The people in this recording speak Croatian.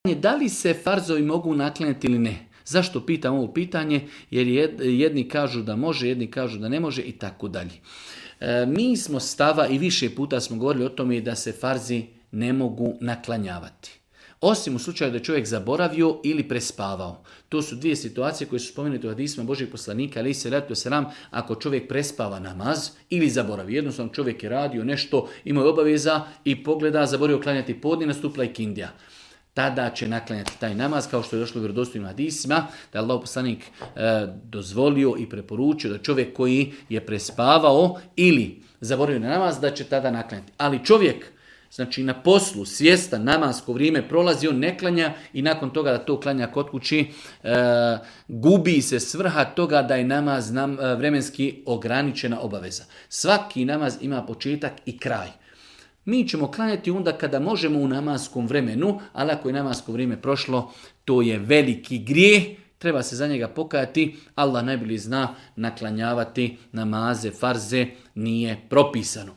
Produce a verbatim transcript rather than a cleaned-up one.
Da li se farzovi mogu naklanjati ili ne? Zašto pitam ovo pitanje? Jer jedni kažu da može, jedni kažu da ne može i tako dalje. Mi smo stava i više puta smo govorili o tome da se farzi ne mogu naklanjavati. Osim u slučaju da je čovjek zaboravio ili prespavao. To su dvije situacije koje su spomenute u hadisima Božih poslanika, ali se ratu selam, ako čovjek prespava namaz ili zaboravi. Jednostavno čovjek je radio nešto, imao je obaveza i pogleda, zaboravio klanjati podne, nastupila je kindija. Tada će naklanjati taj namaz, kao što je došlo u vjerodostojnim hadisima, da je Allah poslanik e, dozvolio i preporučio da čovjek koji je prespavao ili zaboravio na namaz, da će tada naklanjati. Ali čovjek, znači na poslu, svjestan, namasko vrijeme prolazi, on ne klanja i nakon toga da to klanja kod kući, e, gubi se svrha toga da je namaz nam, e, vremenski ograničena obaveza. Svaki namaz ima početak i kraj. Mi ćemo klanjati onda kada možemo u namaskom vremenu, ali ako je namasko vrijeme prošlo, to je veliki grijeh, treba se za njega pokajati. Allah najbolje zna, naklanjavati namaze, farze nije propisano.